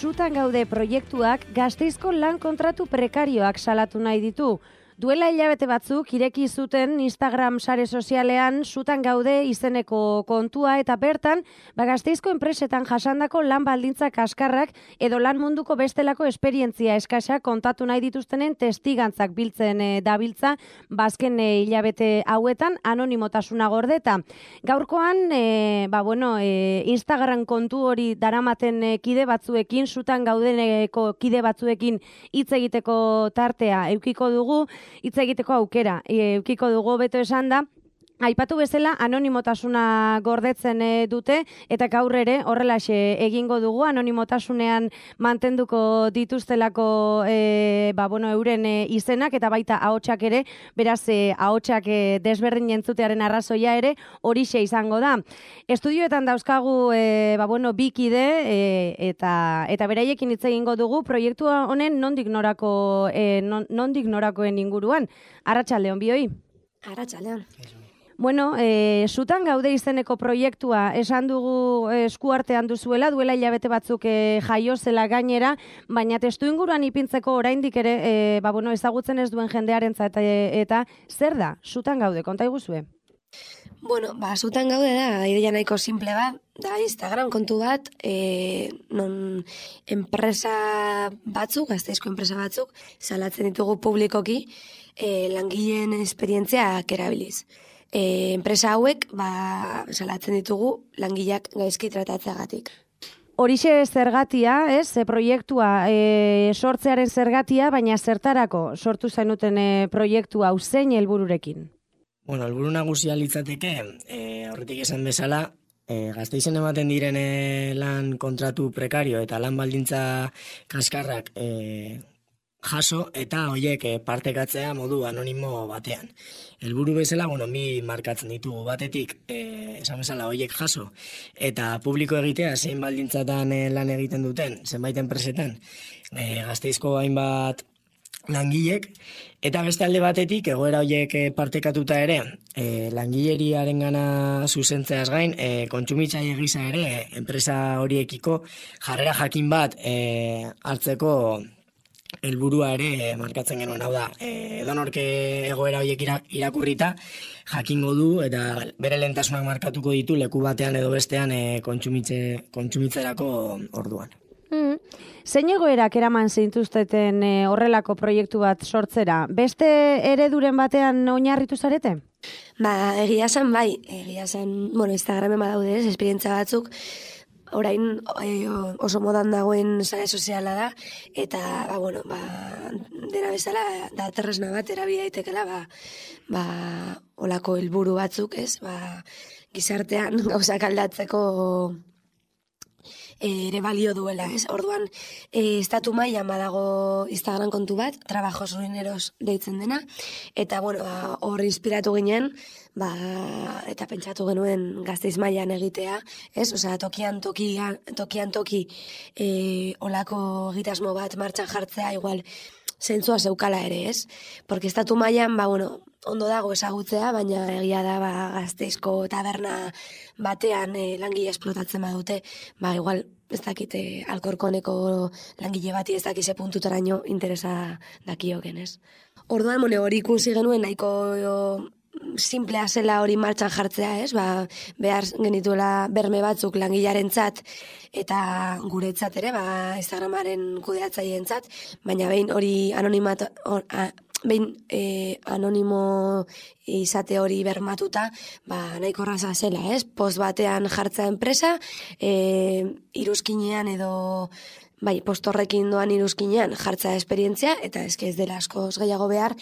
Sutan gaude proiektuak Gasteizko lan kontratu prekarioak salatu nahi ditu. Duela hilabete batzuk ireki zuten Instagram sare sozialean Sutan gaude izeneko kontua eta bertan Gasteizko enpresetan jasandako lan baldintza kaskarrak edo lan munduko bestelako esperientzia eskasa kontatu nahi dituztenen testigantzak biltzen dabiltza bazken hilabete hauetan anonimotasuna gordeta. Gaurkoan Instagram kontu hori daramaten kide batzuekin, Sutan gaudeneko kide batzuekin hitz egiteko tartea edukiko dugu. Hitz egiteko aukera, edukiko dugu beto esan da, aipatu bezala anonimotasuna gordetzen dute eta gaur ere horrelaxe egingo dugu anonimotasunean mantenduko dituztelako euren izenak eta baita ahotsak ere, beraz ahotsak desberdin entzutearen arrazoia ere horixe izango da. Estudioetan dauzkagu bi kide eta beraiekin hitz egingo dugu proiektu honen nondik norakoen inguruan. Arratsaldeon bioi. Arratsaldeon. Sutan gaude izeneko proiektua esan dugu eskuartean duzuela, duela hilabete batzuk jaio zela gainera, baina testu inguruan ipintzeko oraindik ere ezagutzen ez duen jendearentzat eta zer da Sutan gaude, konta iguzue? Sutan gaude da, ideia nahiko simple bat, da Instagram kontu bat, non enpresa batzuk, Gasteizko enpresa batzuk, salatzen ditugu publikoki, langileen esperientziak erabiliz. Enpresa hauek salatzen ditugu langileak gaizki tratatzeagatik. Horixe zergatia, proiektua sortzearen zergatia, baina zertarako sortu zenuten proiektu hau zein helbururekin? Helburu nagusia litzateke, horretik esan bezala, Gasteizen ematen diren lan kontratu prekario eta lan baldintza kaskarrak jaso eta horiek partekatzea modu anonimo batean. Helburu bezala, mi markatzen ditugu batetik, esan bezala horiek jaso eta publiko egitea zein baldintzatan lan egiten duten, zenbait enpresetan, Gasteizko hainbat langilek, eta beste alde batetik, egoera horiek partekatuta ere, langileriaren gana zuzentzeaz gain, kontsumitzaile gisa ere, enpresa horiekiko jarrera jakin bat hartzeko helburua ere markatzen genuen. Hau da, edonork egoera horiek irakurrita jakingo du eta bere lehentasunak markatuko ditu leku batean edo bestean kontsumitzerako orduan. Zein egoerak eraman zintuzteten horrelako proiektu bat sortzera? Beste ereduren batean oinarritu zarete? Egia esan bai, Instagramen badaude esperientzia batzuk, orain oso modan dagoen sare soziala da, eta dena bezala da tresna bat erabili daitekela olako helburu batzuk, gizartean gauzak aldatzeko ere balio duela, Orduan, estatu mailan badago Instagram kontu bat, Trabajos Ruineros deitzen dena, eta hor inspiratu ginen, eta pentsatu genuen Gasteiz mailan egitea, tokian toki olako egitasmo bat martxan jartzea, igual zentzua zeukala ere, Porque estatu mailan, ondo dago ezagutzea, baina egia da Gasteizko taberna batean langile esplotatzen badute, igual ez dakite Alkorkoneko langile bati ez dakize puntutaraino interesa dakioken, Orduan, hori ikusi genuen nahiko simplea zela hori martxan jartzea, behar genituela berme batzuk langilearentzat eta guretzat ere, Instagramaren kudeatzaileentzat, baina behin hori anonimo izate hori bermatuta, nahiko erraza zela, Post batean jartza enpresa, iruzkinean edo post horrekin doan iruzkinean jartza esperientzia, eta ez dela askoz gehiago behar,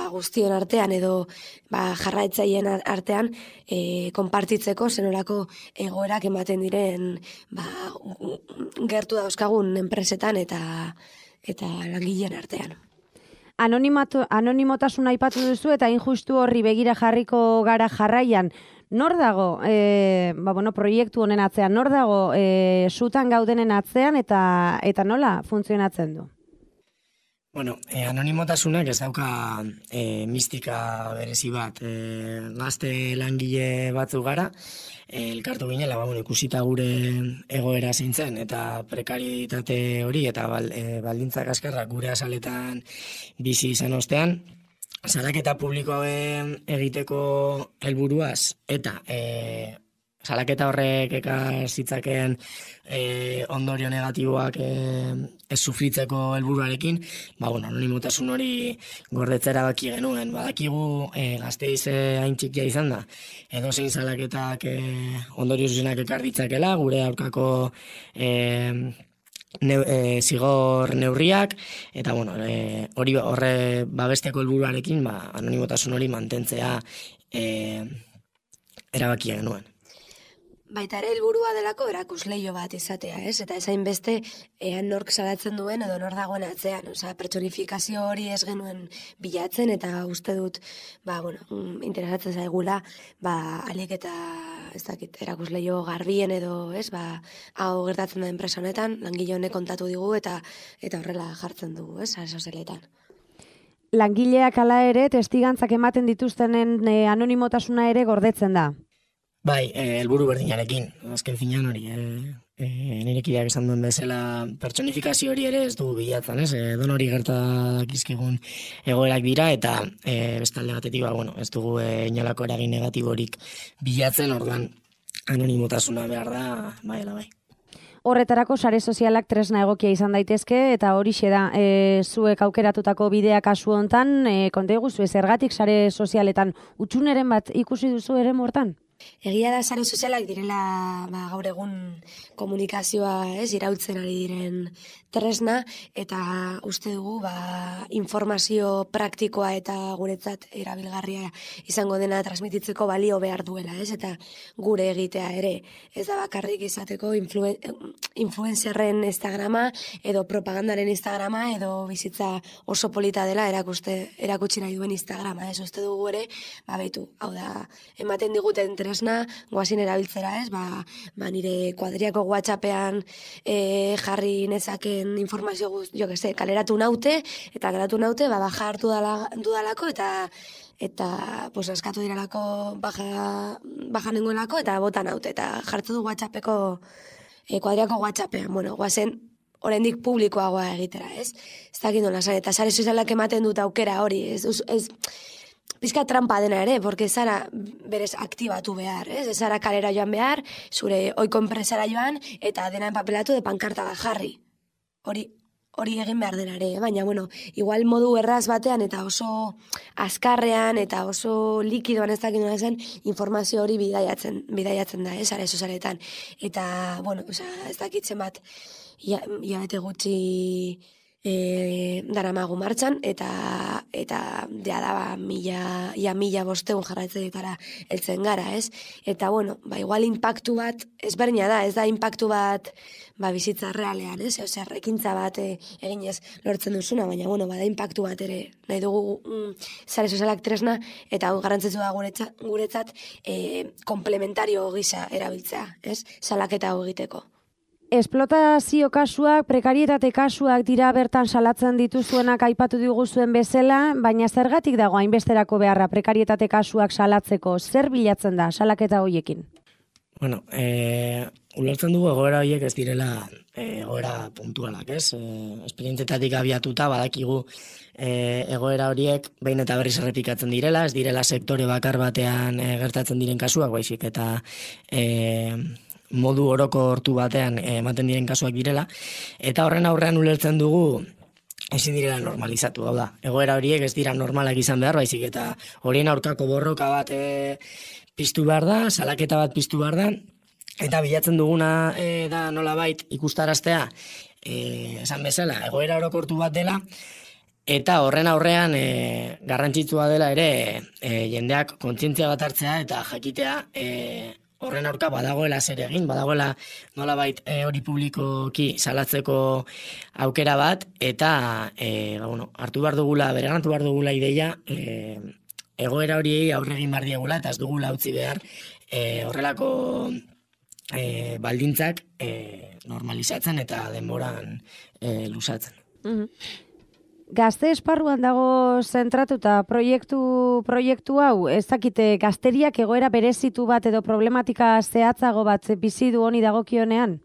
guztion artean edo jarraitzaileen artean konpartitzeko zenolako egoerak ematen diren gertu dauzkagun enpresetan eta langileen artean. Anonimotasuna aipatu duzu eta injustu horri begira jarriko gara jarraian. Nor dago proiektu honen atzean, nor dago Sutan gaudenen atzean eta nola funtzionatzen du? Bueno, anonimotasunak ez dauka mistika berezi bat. Gazte langile batzu gara, elkartu ginela, ikusita gure egoera zeintzen, eta prekaritate hori, eta baldintzak askarrak gure azaletan bizi izan ostean, salaketa publikoa egiteko helburuaz, eta salaketa horrek ekar zitzakeen ondorio negatiboak ez sufritzeko helburuarekin, anonimotasun hori gordetzera baki genuen. Badakigu Gasteiz hain txikia izan da, edozein salaketak ondorio zuzenak ekar ditzakela, gure aurkako zigor neurriak, eta hori horre babesteko helburuarekin anonimotasun hori mantentzea erabaki genuen. Baita ere helburua delako erakusleio bat izatea, ez? Eta ezain beste ean nork salatzen duen edo nor dagoen atzean. Pertsonifikazio hori ez genuen bilatzen eta uste dut, interesatzen zaigula, alik eta erakusleio garbien edo, ez? Hau gertatzen da enpresa honetan, langile honek kontatu digu eta horrela jartzen dugu, ez? Sozialetan. Langileak hala ere testigantzak ematen dituztenen anonimotasuna ere gordetzen da. Bai, helburu berdinarekin, azken finean hori, nirekideak esan duen bezala pertsonifikazio hori ere ez dugu bilatzen, ez? Don hori gertakizkigun egoerak dira, eta bestalde batetik, ez dugu inolako eragin negatiborik bilatzen, orduan anonimotasuna behar da, bai. Horretarako sare sozialak tresna egokia izan daitezke, eta horixe da, zuek aukeratutako bidea kasu hontan, konta iguzu, zergatik sare sozialetan utxuneren bat ikusi duzu ere mortan? Egia da sare sozialak direla gaur egun komunikazioa irautzen ari diren tresna, eta uste dugu informazio praktikoa eta guretzat erabilgarria izango dena transmititzeko balio behar duela, eta gure egitea ere. Ez da bakarrik izateko influencerren Instagrama edo propagandaren Instagrama edo bizitza oso polita dela erakutsi nahi duen Instagrama. Uste dugu ere, hau da, ematen diguten tresna, goazin erabiltzera, nire kuadriako WhatsAppean jarri nezaken informazio kaleratu naute, eta kaleratu naute, baja hartu dudalako, eta eskatu diralako baja nengoelako, eta bota naute, eta jartu du WhatsAppeko kuadriako WhatsAppean. Goazen oraindik publikoagoa egitera, ez? Ez dakit nola zan, eta sare sozialak ematen dut aukera hori, ez pizka trampa dena ere, porque zara berez aktibatu behar, ez? Ez zara kalera joan behar, zure oiko enpresara joan, eta dena empapelatu de pankarta bat jarri. Hori egin behar dena ere, baina, igual modu erraz batean, eta oso azkarrean, eta oso likidoan ez dakit nola zen, informazio hori bidaiatzen da, sare sozialetan. Eta, ez dakitzen bat, hilabete gutxi daramagu martxan, eta da mila bosteun jarraitzeetara heltzen gara, ez? Eta, igual impactu bat, ezberdina da, ez da impactu bat bizitza realean, ez? Ekintza bat eginez lortzen duzuna, baina, bada impactu bat ere nahi dugu sare sozialak tresna, eta hau garrantzitsu da guretzat komplementario gisa erabiltzea, ez? Salaketa hau egiteko. Esplotazio kasuak, prekarietate kasuak dira bertan salatzen dituzuenak aipatu diguzuen bezala, baina zergatik dago hainbesterako beharra prekarietate kasuak salatzeko? Zer bilatzen da salaketa horiekin? Ulertzen dugu egoera horiek ez direla egoera puntualak, ez? Esperientzietatik abiatuta badakigu egoera horiek behin eta berriz errepikatzen direla, ez direla sektore bakar batean gertatzen diren kasuak, baizik eta modu orokortu batean ematen diren kasuak direla, eta horren aurrean ulertzen dugu ezin direla normalizatu, hau da. Egoera horiek ez dira normalak izan behar, baizik eta horien aurkako borroka bat piztu behar da, salaketa bat piztu behar da, eta bilatzen duguna da nolabait ikustaraztea, esan bezala, egoera orokortu bat dela, eta horren aurrean garrantzitsua dela ere jendeak kontzientzia bat hartzea eta jakitea horren aurka badagoela zer egin, badagoela nolabait hori publikoki salatzeko aukera bat, eta hartu behar dugula, bereganatu behar dugula ideia, egoera horiei aurre egin behar diegula, eta ez dugula utzi behar horrelako baldintzak normalizatzen eta denboran luzatzen. Gazte esparruan dago zentratuta proiektu hau, ez dakite gazteriak egoera berezitu bat edo problematika zehatzago bat bizi du honi dagokionean?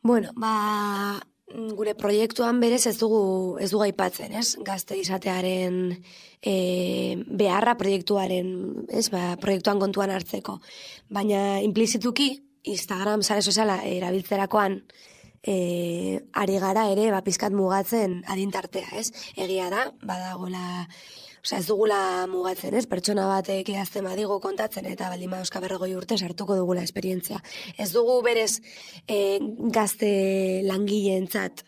Bueno, gure proiektuan berez ez dugu aipatzen, ez? Gazte izatearen beharra proiektuaren, ez? Proiektuan kontuan hartzeko. Baina implizituki Instagram sare soziala erabiltzerakoan ari gara ere pizkat mugatzen adintartea, ez? Egia da, badagola, ez dugula mugatzen, ez? Pertsona batek idazten badigu kontatzen eta baldin badauzka 40 urte sartuko dugula esperientzia. Ez dugu berez gazte langileentzat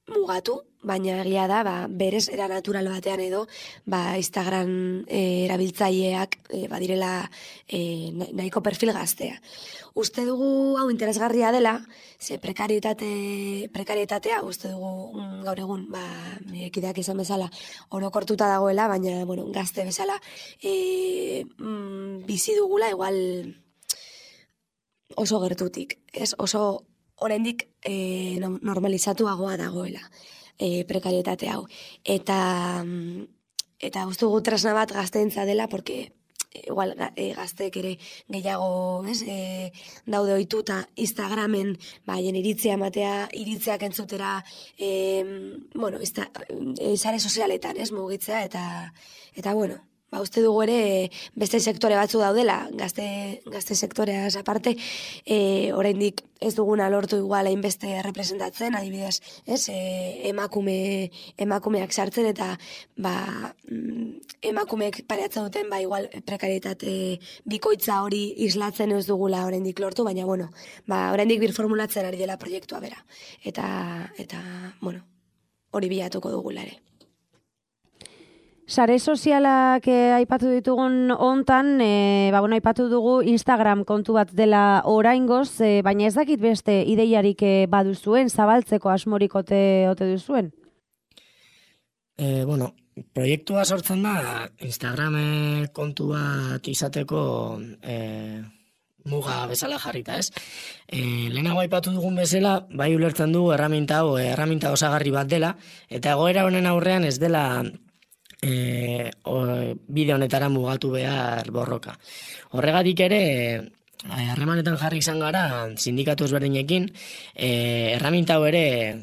mugatu, baina egia da, berez era natural batean edo, Instagram erabiltzaileak badirela nahiko perfil gaztea. Uste dugu hau interesgarria dela, ze prekarietatea uste dugu gaur egun, kideak izan bezala, orokortuta dagoela, baina gazte bezala bizi dugula igual oso gertutik, ez? Oso oraindik normalizatuagoa dagoela prekarietate hau. Eta uste dugu tresna bat gazteentza dela, porque igual gazteek ere gehiago daude ohituta Instagramen haien iritzia ematea, iritziak entzutera sare sozialetan mugitzea eta uste dugu ere beste sektore batzu daudela, gazte sektoreaz aparte, oraindik ez duguna lortu igual hainbeste representatzen, adibidez, emakumeak sartzen eta emakumeek pareatzen duten igual prekarietate bikoitza hori islatzen ez dugula oraindik lortu, baina oraindik birformulatzen ari dela proiektua bera. Eta hori bilatuko dugula ere. Sare sozialak aipatu ditugun hontan, aipatu dugu Instagram kontu bat dela oraingoz, baina ez dakit beste ideiarik baduzuen, zabaltzeko asmorik ote duzuen? Proiektua sortzen da Instagram kontu bat izateko muga bezala jarrita, ez? Lehenago aipatu dugun bezala, bai ulertzen dugu erraminta osagarri bat dela, eta egoera honen aurrean ez dela bide honetara mugatu behar borroka. Horregatik ere, harremanetan jarri izan gara sindikatu ezberdinekin, erraminta hau ere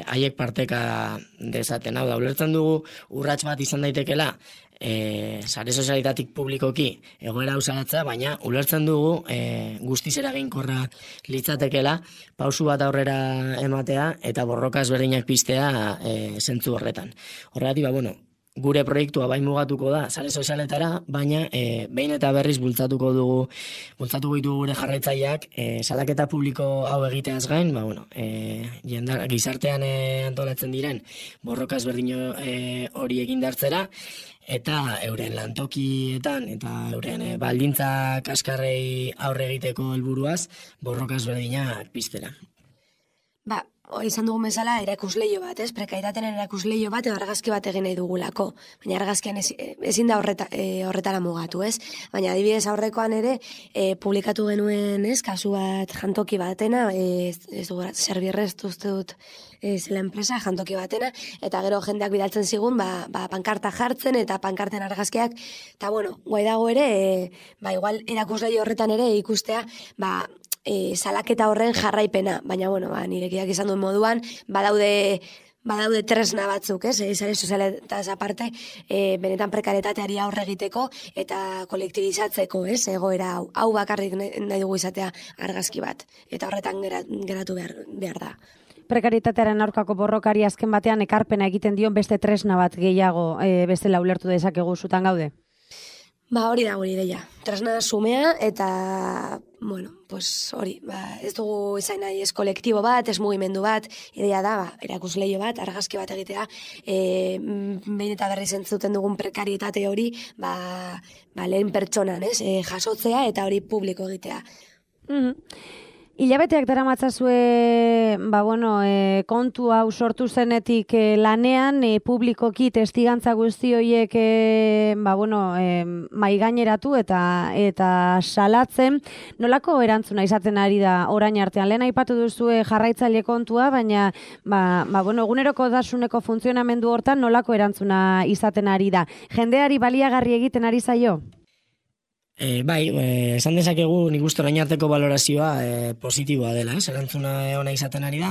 haiek parteka dezaten. Hau da, ulertzen dugu urrats bat izan daitekela sare sozialitatik publikoki egoera hau salatzea, baina ulertzen dugu guztiz eraginkorra litzatekela pausu bat aurrera ematea eta borroka ezberdinak piztea zentzu horretan. Horregatik, gure proiektua bai mugatuko da sare sozialetara, baina behin eta berriz bultzatuko ditugu gure jarraitzaileak salaketa publiko hau egiteaz gain, gizartean antolatzen diren borroka ezberdin hori egin dartzera, eta euren lantokietan eta euren baldintza kaskarrei aurre egiteko helburuaz borroka ezberdinak piztera. Izan dugun bezala erakusleio bat, prekaitateen erakusleio bat edo argazki bat egin nahi dugulako. Baina argazkian ezin da horretara mugatu, ez? Baina adibidez aurrekoan ere publikatu genuen, kasu bat jantoki batena, ez dugu Zerbirrez uste dut zela enpresa jantoki batena, eta gero jendeak bidaltzen zigun, pankarta jartzen eta pankarten argazkiak, eta guai dago ere, igual erakusleio horretan ere ikustea, salaketa horren jarraipena, baina nirekiak izan duen moduan, badaude tresna batzuk, sare sozialetaz aparte, benetan prekaretateari aurre egiteko eta kolektibizatzeko, egoera hau bakarrik nahi dugu izatea argazki bat, eta horretan geratu behar da. Prekaritatearen aurkako borrokari azken batean ekarpena egiten dion beste tresna bat gehiago bestela ulertu dezakegu zutan gaude? Hori da gure ideia. Tresna sumea eta, hori, ez dugu izan nahi ez kolektibo bat, ez mugimendu bat, ideia da, erakusleio bat, argazki bat egitea, behin eta berriz entzuten dugun prekarietate hori, lehen pertsonan, jasotzea eta hori publiko egitea. Hilabeteak daramatzazue, kontu hau sortu zenetik lanean, publikoki testigantza guzti horiek maigaineratu eta salatzen. Nolako erantzuna izaten ari da orain artean? Lehen aipatu duzue jarraitzaile kontua, baina eguneroko dasuneko funtzionamendu hortan nolako erantzuna izaten ari da? Jendeari baliagarri egiten ari zaio? Esan dezakegu nik uste orain arteko valorazioa positiboa dela, erantzuna ona izaten ari da.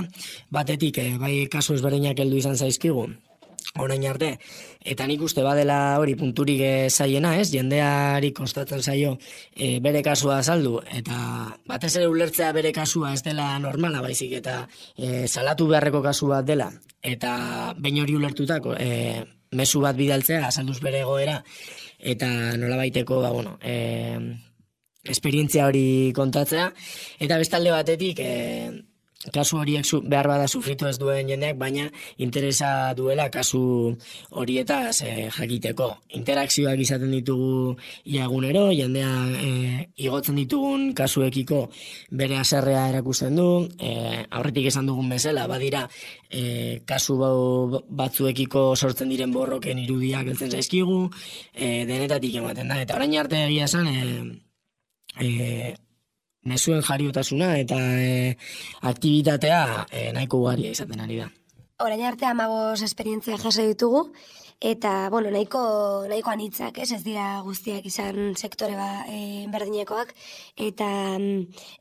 Batetik, bai kasu ezberdinak heldu izan zaizkigu, orain arte, eta nik uste badela hori punturik zaiena, jendeari kostatzen zaio bere kasua azaldu, eta batez ere ulertzea bere kasua ez dela normala baizik, eta salatu beharreko kasu bat dela, eta behin hori ulertutako mezu bat bidaltzea, azalduz bere egoera, eta nolabaiteko esperientzia hori kontatzea, eta bestalde batetik kasu horiek behar bada sufritu ez duen jendeak, baina interesa duela kasu horietaz jakiteko. Interakzioak izaten ditugu iagunero, jendea igotzen ditugun kasuekiko bere haserrea erakusten du, aurretik esan dugun bezala, badira kasu batzuekiko sortzen diren borroken irudiak heltzen zaizkigu, denetatik ematen da, eta orain arte egia esan, mezuen jariotasuna eta aktibitatea nahiko ugaria izaten ari da. Orain arte 15 esperientzia jaso ditugu, eta nahiko anitzak, ez dira guztiak izan sektore berdinekoak, eta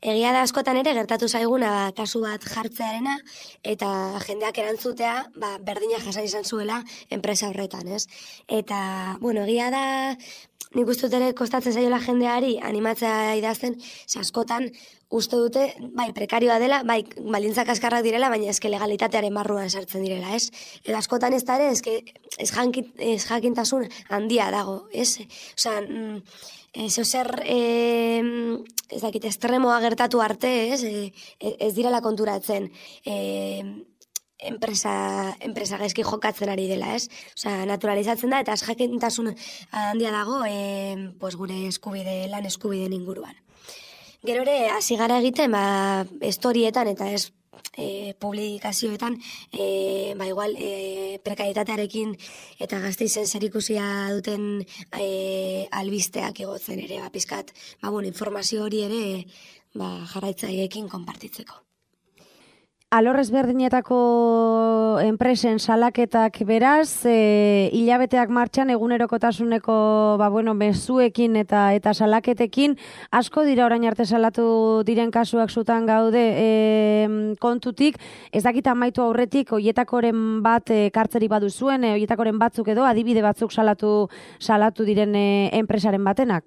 egia da askotan ere gertatu zaiguna kasu bat jartzearena, eta jendeak erantzutea berdina jasan izan zuela enpresa horretan, ez? Eta, egia da, nik uste dut ere kostatzen zaiola jendeari animatzea idazten, askotan uste dute, prekarioa dela, baldintzak kaskarrak direla, baina eske legalitatearen barruan sartzen direla, ez? Eta askotan ez da ere, ez jakintasun handia dago, ez? Osea, zer, ez dakit, estremoa gertatu arte, ez direla konturatzen, enpresa gaizki jokatzen ari dela, ez? Osea, naturalizatzen da, eta ez jakintasun handia dago, gure lan eskubideen inguruan. Gero ere, hasi gara egiten, estorietan eta ez publikazioetan, igual, prekarietatearekin eta Gasteizen zerikusia duten albisteak egotzen ere, pizkat, informazio hori ere jarraitzaileekin konpartitzeko. Alor ezberdinetako enpresen salaketak beraz, hilabeteak martxan egunerokotasuneko mezuekin eta salaketekin, asko dira orain arte salatu diren kasuak zutan gaude kontutik, ez dakit amaitu aurretik, oietakoren bat kartzeri baduzuen, oietakoren batzuk edo, adibide batzuk salatu diren enpresaren batenak?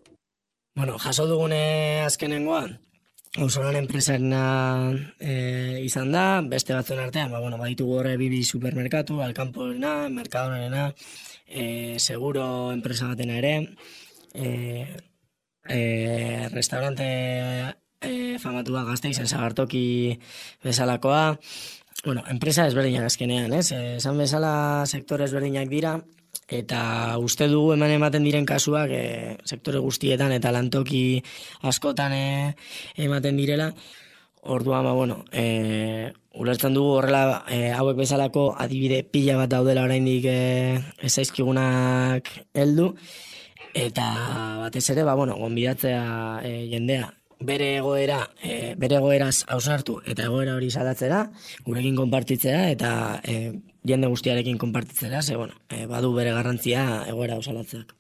Jaso dugune azkenengoan, Auzolan enpresarena izan da, beste batzuen artean, baditugu horre bibi supermerkatu, Alkamporena, Mercadonarena, Seguro enpresa batena ere, restaurante famatua Gasteizen Sagartoki bezalakoa, enpresa ezberdinak azkenean, esan bezala sektore ezberdinak dira, eta uste dugu ematen diren kasuak sektore guztietan eta lantoki askotan ematen direla. Orduan, ulertzen dugu horrela hauek bezalako adibide pila bat daudela oraindik ez zaizkigunak heldu, eta batez ere, gonbidatzea jendea bere egoeraz hausnartu eta egoera hori salatzera, gurekin konpartitzera eta jende guztiarekin konpartitzera, badu bere garrantzia egoera hausalatzeak.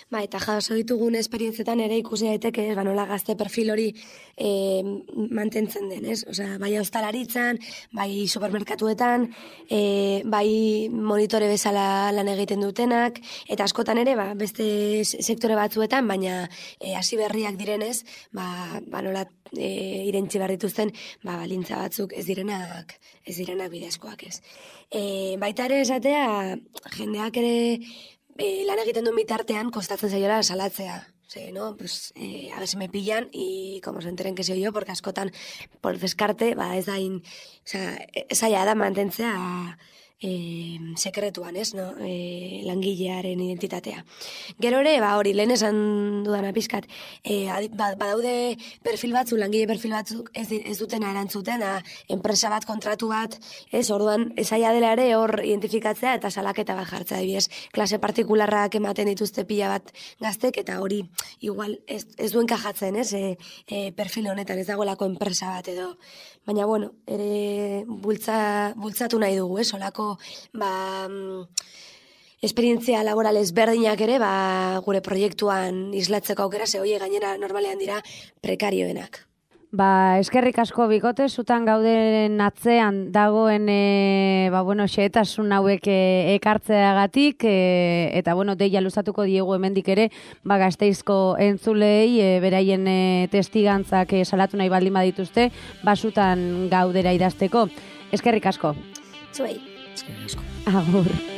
Eta jaso ditugun esperientzietan ere ikusi daiteke, nola gazte perfil hori mantentzen den, ez? Osea, bai ostalaritzan, bai supermerkatuetan, bai monitore bezala lan egiten dutenak, eta askotan ere, beste sektore batzuetan, baina hasi berriak direnez, nola irentzi behar dituzten, balintza batzuk ez direnak bidezkoak, ez. Baita ere esatea, jendeak ere lan egiten duen bitartean kostatzen zaiola salatzea. A ver si me pillan y como se enteren que soy yo, porque askotan por descarte, ez da zaila da mantentzea sekretuan, ez, no? Langilearen identitatea. Gero ere, hori, lehen esan dudana pizkat, badaude perfil batzuk, langile perfil batzuk ez dutena erantzuten, enpresa bat, kontratu bat, ez, orduan, esaia dela ere hor identifikatzea eta salaketa bat jartzea, adibidez, klase partikularrak ematen dituzte pila bat gaztek, eta hori, igual, ez duen kajatzen, ez, perfil honetan, ez dagoelako enpresa bat edo. Baina, bueno, ere bultzatu nahi dugu, ez, olako, esperientzia laboral ezberdinak ere, gure proiektuan islatzeko aukera, ze hoie gainera normalean dira prekarioenak. Eskerrik asko bikote, zutan gauden atzean dagoen xehetasun hauek ekartzeagatik, eta deia luzatuko diegu hemendik ere, Gasteizko entzulei beraien testigantzak salatu nahi baldin badituzte, zutan gaudera idazteko. Eskerrik asko. Zuei. Eskerrik asko. Agur.